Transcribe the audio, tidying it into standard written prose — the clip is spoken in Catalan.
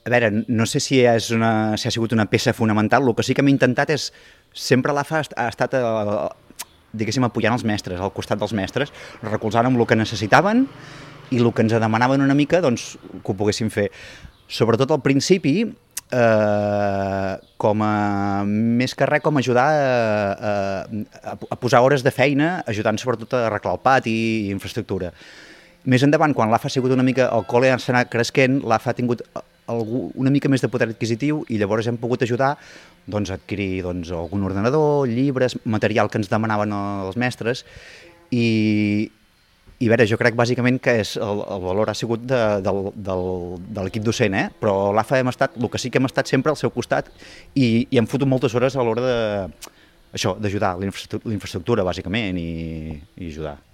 A veure, no sé si si ha sigut una peça fonamental, el que sí que hem intentat és, sempre l'AFA ha estat, diguéssim, apoyant els mestres, al costat dels mestres, recolzant amb el que necessitaven i el que ens demanaven una mica, doncs, que ho poguéssim fer. Sobretot al principi, més que res, com ajudar a posar hores de feina, ajudant sobretot a arreglar el pati i infraestructura. Més endavant, quan l'AFA ha sigut una mica, el col·le s'ha anat creixent, l'AFA ha tingut una mica més de poder adquisitiu i llavors hem pogut ajudar doncs, a adquirir algun ordenador, llibres, material que ens demanaven els mestres i a veure, jo crec bàsicament que el valor ha sigut de l'equip docent, però l'AFA hem estat, el que sí que hem estat sempre al seu costat i hem fotut moltes hores a l'hora d'ajudar la infraestructura bàsicament i ajudar.